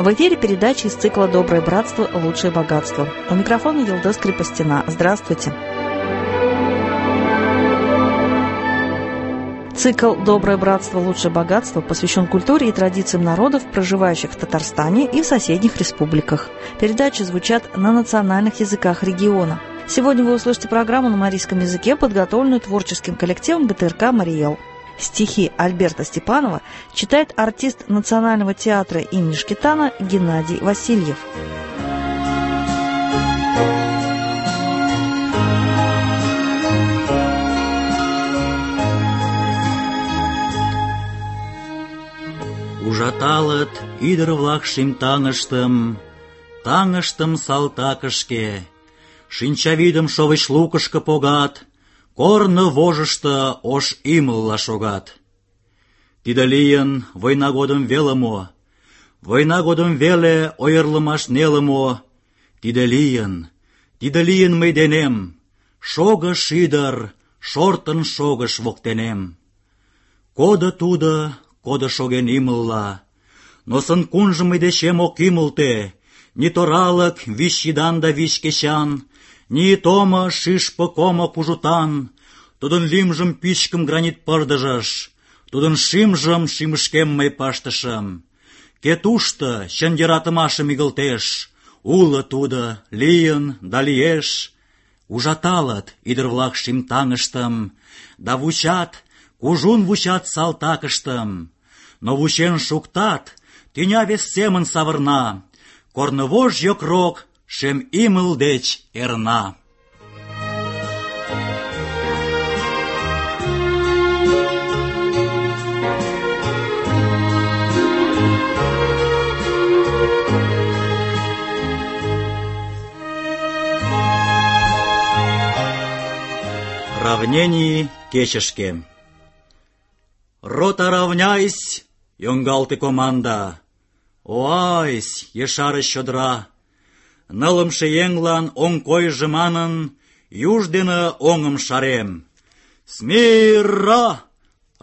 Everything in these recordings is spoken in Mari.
В эфире передача из цикла «Доброе братство. Лучшее богатство». У микрофона Елдос Крепостина. Здравствуйте. Цикл «Доброе братство. Лучшее богатство» посвящен культуре и традициям народов, проживающих в Татарстане и в соседних республиках. Передачи звучат на национальных языках региона. Сегодня вы услышите программу на марийском языке, подготовленную творческим коллективом ГТРК «Мариэл». Стихи Альберта Степанова читает артист Национального театра имени Шкетана Геннадий Васильев. Ужаталыт ӱдыр-влак шем таҥыштым салтакышке, шинчавӱдым шовыч лукышко погат, корно вожышто ош ӱмылла шогат. Тиде лийын война годым веле мо? Война годым веле ойырлымаш неле мо? Тиде лийын мый денем, шогыш ӱдыр, шортын шогыш воктенем. Кодо шоген ӱмылла, но сын-кунжым мый дечем ок ӱмылтӧ, ни торалык вич йӱдан да вич кечан, ни томо шӱшпык омо кужутан. Тудын лӱмжым пӱчкым гранит пырдыжыш, тудын шӱмжым шӱмышкем мый пыштышым. Кӧ тушто чын йӧратымашым игылтеш, уло тудо, лийын да лиеш. Ужаталыт ӱдыр-влак шем таҥыштым, да вучат, кужун вучат салтакыштым. Но вучен шуктат, тӱня вес семын савырна, корнывож йокрок шем ӱмыл деч эрна. Равнений кечышке. Рота, равняйсь, йоҥгалте команда. Оайсь, ешарыш чодыра. Нылымше еҥлан оҥ койжо манын, юж дене оҥым шарем. Смирра!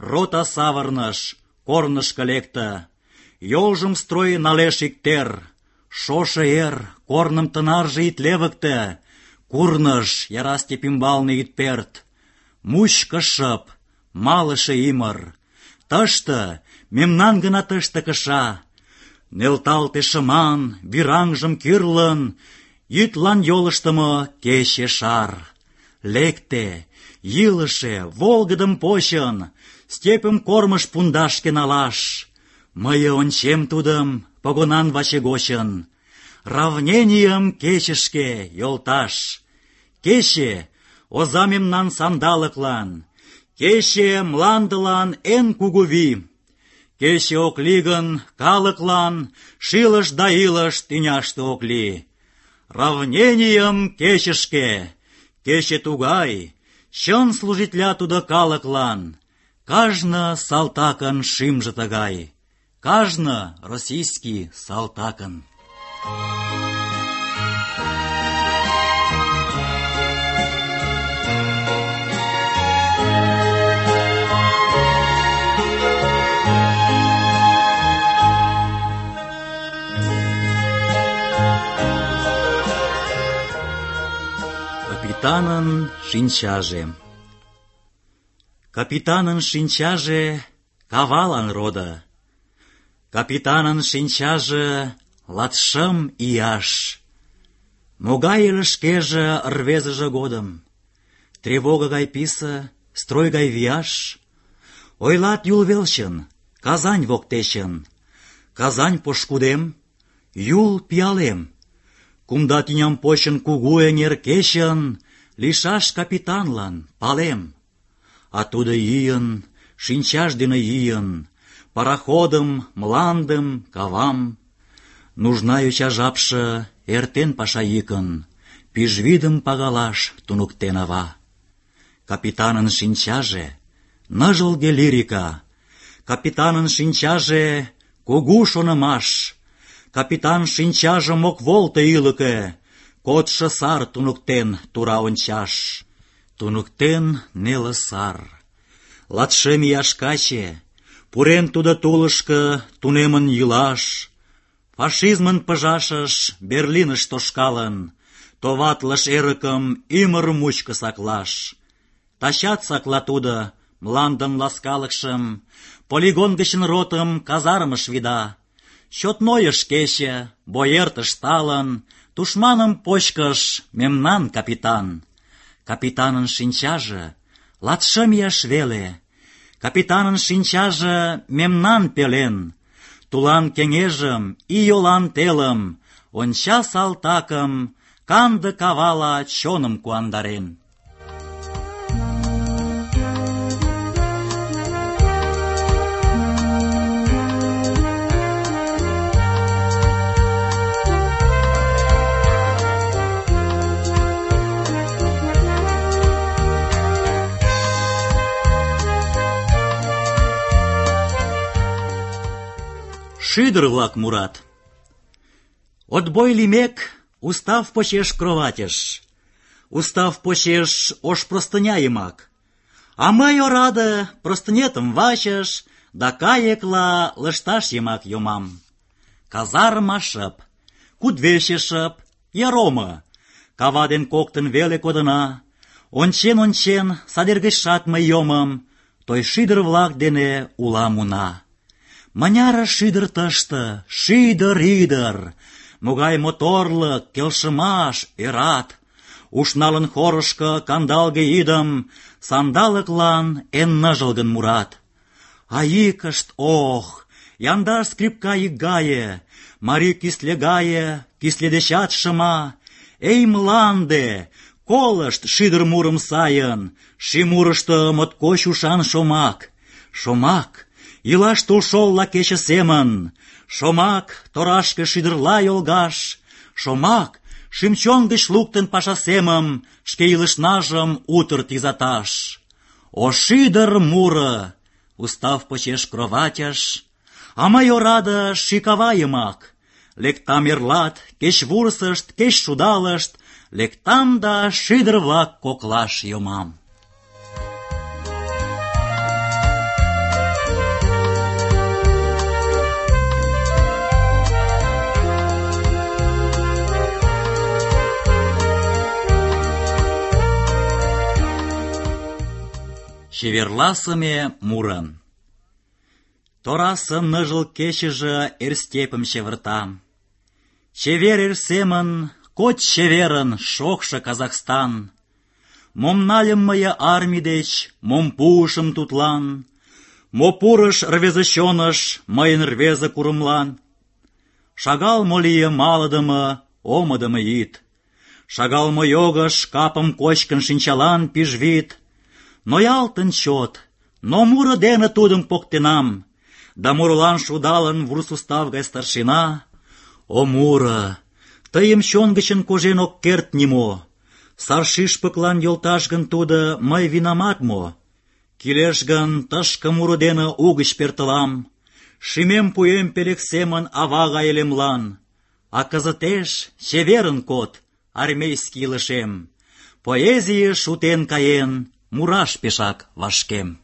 Рота савырныш, корнышко лекте. Йолжым строй налеш иктер. Шошо эр, корным тынарже ит левыкте. Курныж, яра степь ӱмбалне ит перт. Мучко шып, малыше ӱмыр. Тыште, мемнан гына тыште кыша. Нӧлталте шыман, вӱраҥжым кӱрлын, йӱдлан йолыштымо кече шар. Лекте, йӱлышӧ, волгыдым почын, степьым кормыж пундашке налаш. Мые ончем тудым погонан ваче гочын. Равненийым кечышке, йолташ. Кече — оза мемнан сандалыклан. Кече мландылан эн кугу вий. Кече ок лий гын, калыклан шилыш да илыш тӱняште ок лий. Равненийым кечышке. Кече тугай, чын служитля тудо калыклан. Кажне салтакын шӱмжӧ тыгай. Кажне российский салтакын. Капитанын шинчаже. Капитанын шинчаже кавалан родо. Капитанын шинчаже 25 ияш. Могай ыле шкеже рвезыже годым. Тревога гай писе, строй гай вияш. Ойлат Юл велчын, Казань воктечын. Казань пошкудем, Юл пиалем. Кумда тӱням почын кугу эҥер кечын, лийшаш капитанлан палем. А тудо йӱын, шинчаж дене йӱын, пароходым, мландым, кавам. Нужна йоча жапше эртен паша йӱкын, пӱжвӱдым пагалаш туныктен ава. Капитанын шинчаже — ныжылге лирика. Капитанын шинчаже — кугу шонымаш. Капитан шинчажым ок волто ӱлыкӧ, кодшо сар туныктен тура ончаш. Туныктен неле сар. 25 ияш каче, пурен тудо тулышко тунемын йӱлаш. Фашизмын пыжашыш Берлиныш тошкалын, товатлыш эрыкым ӱмыр мучко саклаш. Тачат сакла тудо мландын ласкалыкшым, полигон гычын ротым казармыш вида. Чот нойыш кече, бой эртыш талын, тушманым почкыш мемнан капитан. Капитанын шинчаже 25 ияш веле, капитанын шинчаже мемнан пелен. Тулан кеҥежым, ийолан телым, онча салтакым, канде кавала чоным куандарен. Шӱдыр-влак мурат. Отбой лиймек, устав почеш кроватьыш, устав почеш ош простыня йымак. А мый, ораде, простынетым вачыш да кайыкла лышташ йымак йомам. Казарма шып, кудвече шып, яромо. Кава ден коктын веле кодына. Ончен-ончен, садер гычшат мый йомым, той шӱдыр-влак дене улам уна. Мыняре шӱдыр тыште, шӱдыр ӱдыр, могай моторлык, келшымаш, ӧрат. Ушналын хорышко кандалге йӱдым, сандалыклан эн ныжылгын мурат. А йӱкышт, ох, яндар скрипка йӱк гае, марий кӱсле гае, кӱсле дечат шыма. Эй, мланде, колышт шӱдыр мурым сайын, шӱмурышто моткоч ушан шомак. Шомак — илаш тулшолла кече семын, шомак — торашке шӱдырла йолгаш, шомак — шӱм-чон гыч луктын паша семым, шке илышнажым утыр тӱзаташ. О шӱдыр муро, устав почеш кроватьыш, а мый, ораде, шӱкава йымак. Лектам эрлат, кеч вурсышт, кеч шудалышт, лектам да шӱдыр-влак коклаш йомам. Чеверласыме муро. Торасе ныжыл кечыже эр степым чеверта. Чевер эр семын, коч чеверын шокшо Казахстан. Мом нальым мые армий деч, мом пуышым тудлан, мо пурыш рвезе чоныш мыйын рвезе курымлан. Шагал мо лие малыдыме, омыдымо йӱд. Шагал мо йогыш капым кочкын шинчалан пижвид. Ноялтын чот, но муро дене тудым поктенам, да мурылан шудалын вурс устав гай старшина. О муро, тыйым чон гычын кожен ок керт нимо. Сар шӱшпыклан йолташ гын тудо мый винамат мо? Кӱлеш гын, тышке муро дене угыч пӧртылам, шӱмем пуэм пелек семын ава гай элемлан. А кызытеш чеверын код, армейский илышем, поэзийыш утен каен, мураш пешак вашкем.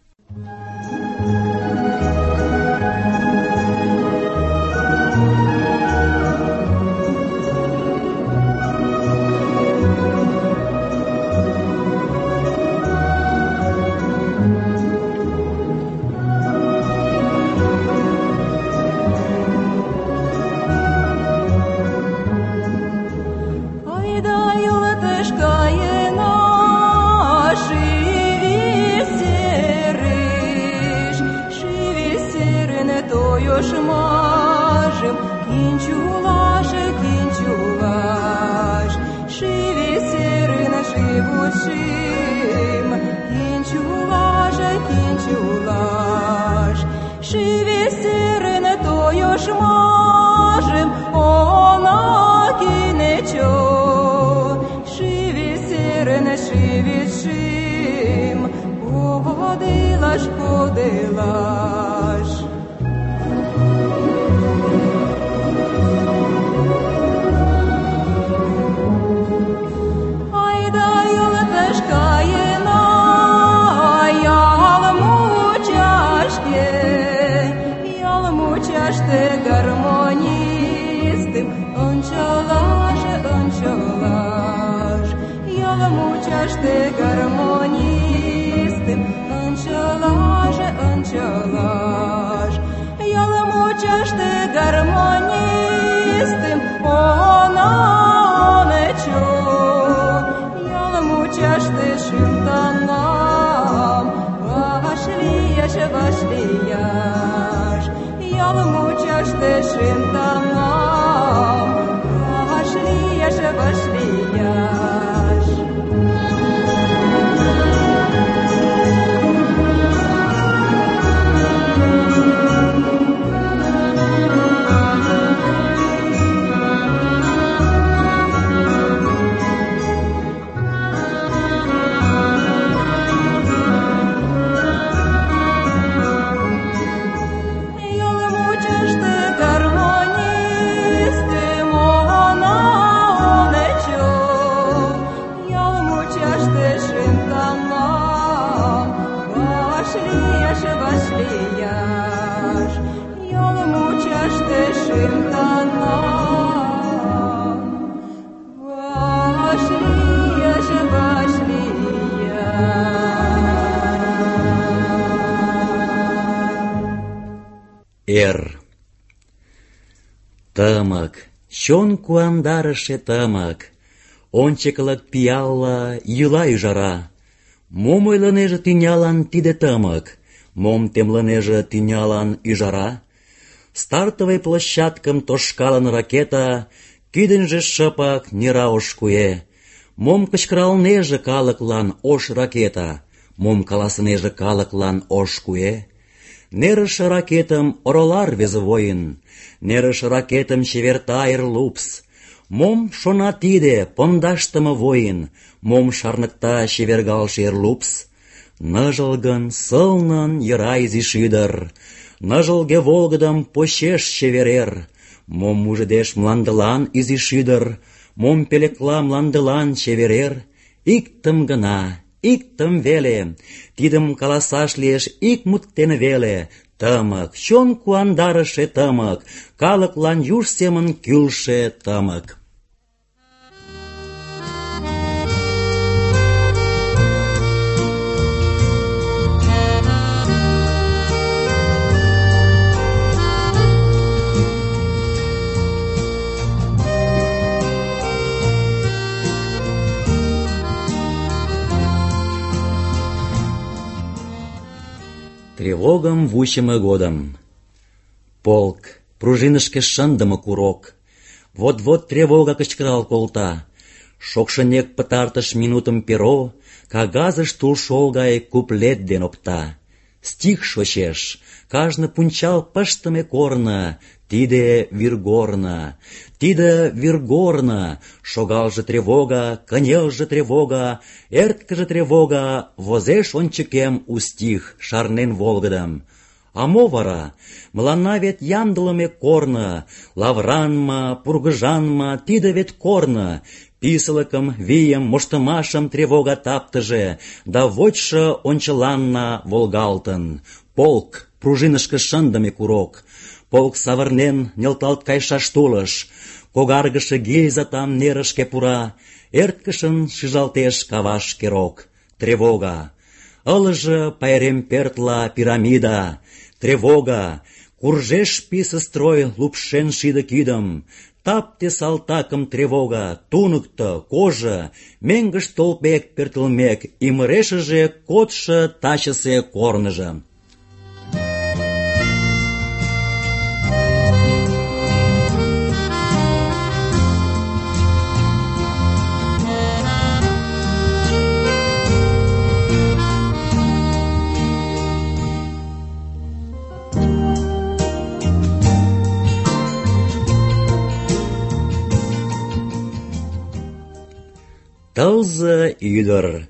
Гармонии мучаште гармонистым, ынчылаж, ял мучаште гармонистым, онамечо, ял мучаште шимтанам, вашлияш, ял мучаште шимтанам, вашлияш. Тымык, чон куандарыше тымык, ончыклык пиалла йӱла ӱжара. Мом ойлынеже тӱнялан тиде тымык, мом темлынеже тӱнялан ӱжара? Стартовый площадкым тошкалын ракета, кӱдыньжӧ шыпак нера ош куэ. Мом кычкыралнеже калыклан ош ракета, мом каласынеже калыклан ош куэ? Нерыше ракетым орола рвезе воин, нерыше ракетым чеверта эр лупс. Мом шона тиде пондашдыме воин, мом шарныкта чевергалше эр лупс? Ныжылгын, сылнын йӧра изиш ӱдыр, ныжылге волгыдым почеш чеверер. Мом мужедеш мландылан изиш ӱдыр, мом пӧлекла мландылан чеверер? Иктым гына, иктым веле, тидым каласаш лиеш ик мут дене веле. Тымык, чон куандарыше тымык, калыклан юж семын кӱлшӧ тымык. Тревогым вучымо годым. Полк, пружинышке шындыме курок. Вот-вот тревога кычкырал колта. Шокшынек пытартыш минутым перо, кагазыш тулшол гай куплет ден опта. Стих шочеш, кажне пунчал пыштыме корно, тиде вӱргорно, тиде вӱргорно. Шогалже тревога, кынелже тревога, эрткыже тревога, возеш ончыкем у стих, шарнен волгыдым. А мо вара? Мыланна вет ямдылыме корно, лавранма, пургыжанма, тиде вет корно. Писылыкым, вийым, моштымашым тревога таптыже, да вочшо ончыланна волгалтын. Полк, пружинышке шындыме курок. Полк савырнен, нӧлталт кайшаш тулыш. Когаргыше гильза там нерышке пура, эрткышын шижалтеш кавашке рок. Тревога. Ылыже пайрем пӧртла пирамида. Тревога. Куржеш писе строй лупшен шиде кидым. Тапте салтакым тревога, туныкто, кожа, меҥгыш толпек пӧртылмек, ӱмырешыже кодшо тачысе корныжо. Тылзе ӱдыр.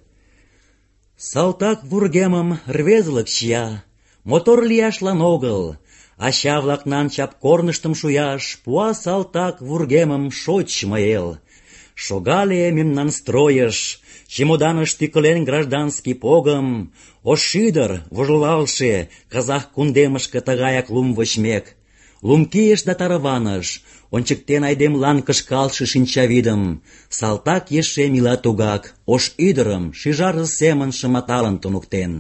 Салтак вургемым рвезылык чия, мотор лияшлан огыл, ача-влакнан чап корныштым шуяш пуа салтак вургемым шочмо эл. Шогале мемнан стройыш, чемоданыш тӱкылен гражданский погым, ош ӱдыр, вожылалше, казах кундемышке тыгаяк лум вочмек. Лум кийыш да тарваныш, ончыктен айдемлан кышкалше шинчавӱдым. Салтак ешем ила тугак, ош ӱдырым шӱжарзе семын шыматалын туныктен.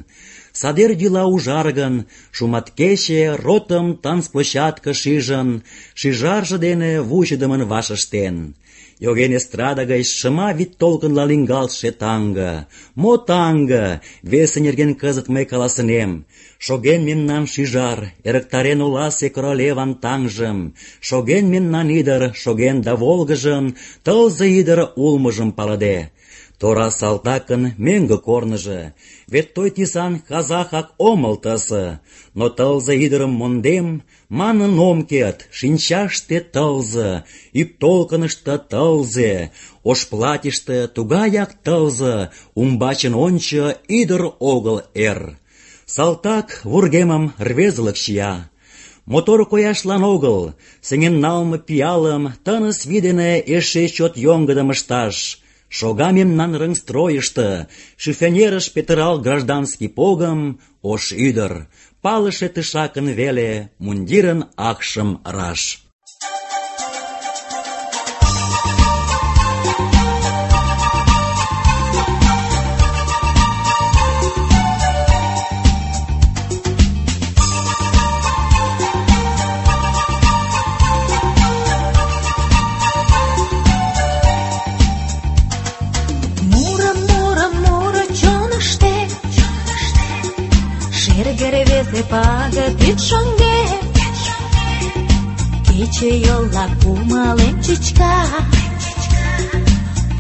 Садер йӱла ужаргын, шуматкече ротым танцплощадкыш ӱжын, шӱжарже дене вучыдымын вашештен. Йоген эстрада гыч шыма вӱд толкынла лӱҥгалтше таҥга. Мо таҥга? Весе нерген кызыт мый каласынем. Шоген мемнан шӱжар, эрыктарен оласе королеван таҥжым. Шоген мемнан ӱдыр, шоген да волгыжын, тылзе ӱдыр улмыжым палыде. Тора салтакын мӧҥгӧ корныжо, вет той тӱсан казахак омыл тысе. Но тылзе ӱдырым мондем, манын ом керт, шинчаште тылзе, ӱп толкынышто тылзе, ош платьыште тугаяк тылзе, умбачын ончо, ӱдыр огыл эр. Салтак вургемым рвезылык чия. Мотор кояшлан огыл, сеҥен налме пиалым тыныс вий дене эше чот йоҥгыдым ышташ. Шога мемнан рыҥстройышто, шифонерыш петырал гражданский погым, ош ӱдыр, палыше тышакын веле мундирын акшым раш. Пагыт ӱп шоҥгет, кече йолла кумалем чӱчка,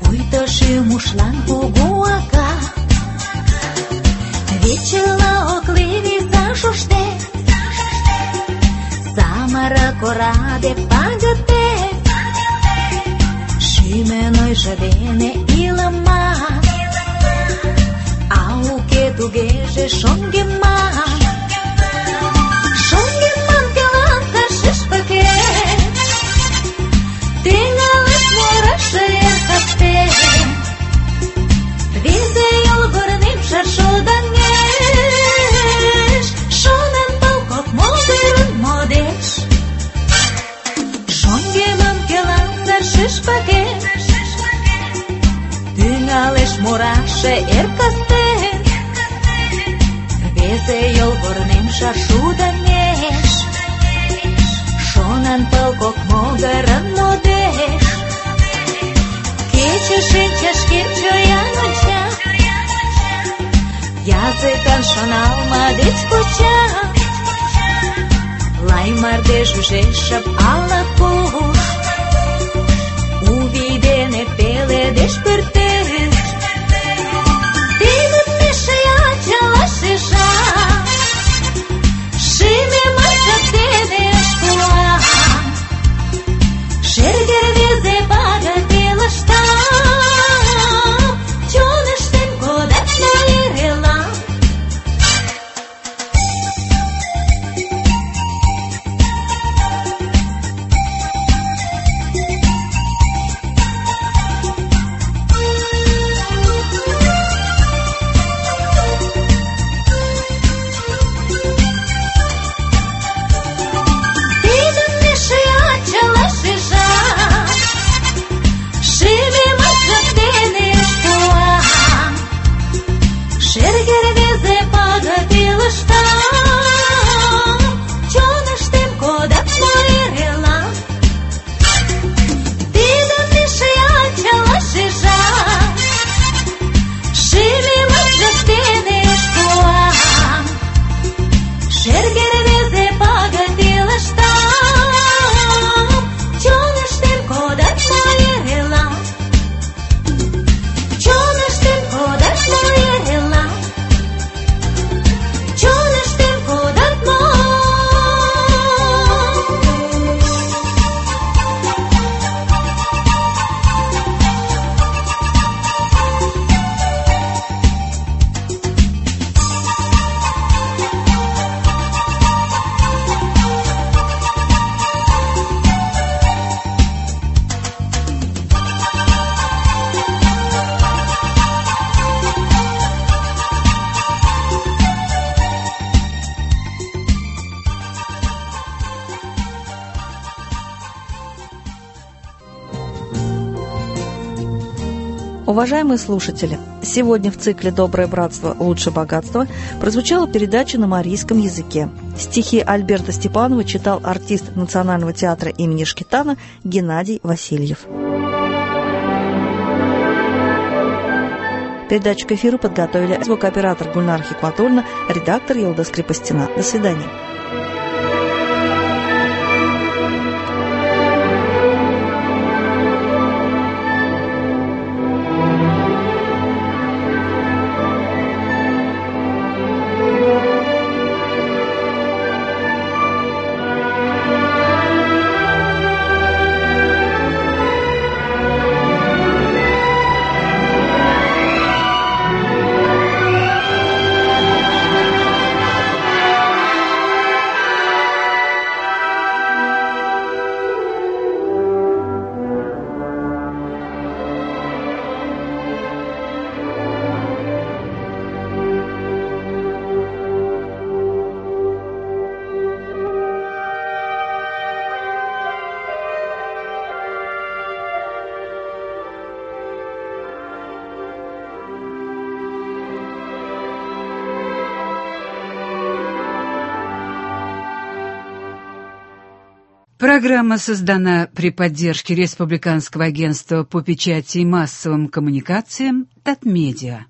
пуйто шӱм ушлан кугу ака. Вечыла ок лий виса шуштет, самырык ораде пагытет, шӱмын ойжо дене илыман, а уке тугеже шоҥгеман. Шоҥгеман келантар шӱшпыкет, тӱҥалеш мураште эр кастен. Рвезе йолгорнем шаршудаҥеш, шонен пыл кок могырын модеш. Шоҥгеман келантар шӱшпыкет, тӱҥалеш мураште эр кастен. Рвезе йолгорнем шаршудаҥеш, шонан пыл кок могырын модеш. Кече шинчашкем чоян онча, языкан шоналма деч куча. Лай мардеж ужеш шып ала-куш, у вий дене пеледеш пӧртеш. Тидым эше ачала шижа, шӱмемат чот дене ышкыла. Шерге рвезе пагыт илышта, чоныштем кодат мый эрела. Уважаемые слушатели, сегодня в цикле «Доброе братство. Лучше богатства» прозвучала передача на марийском языке. Стихи Альберта Степанова читал артист Национального театра имени Шкетана Геннадий Васильев. Передачу к эфиру подготовили звукооператор Гульнара Хикматуллина, редактор Елда Скрипостина. До свидания. Программа создана при поддержке Республиканского агентства по печати и массовым коммуникациям «Татмедиа».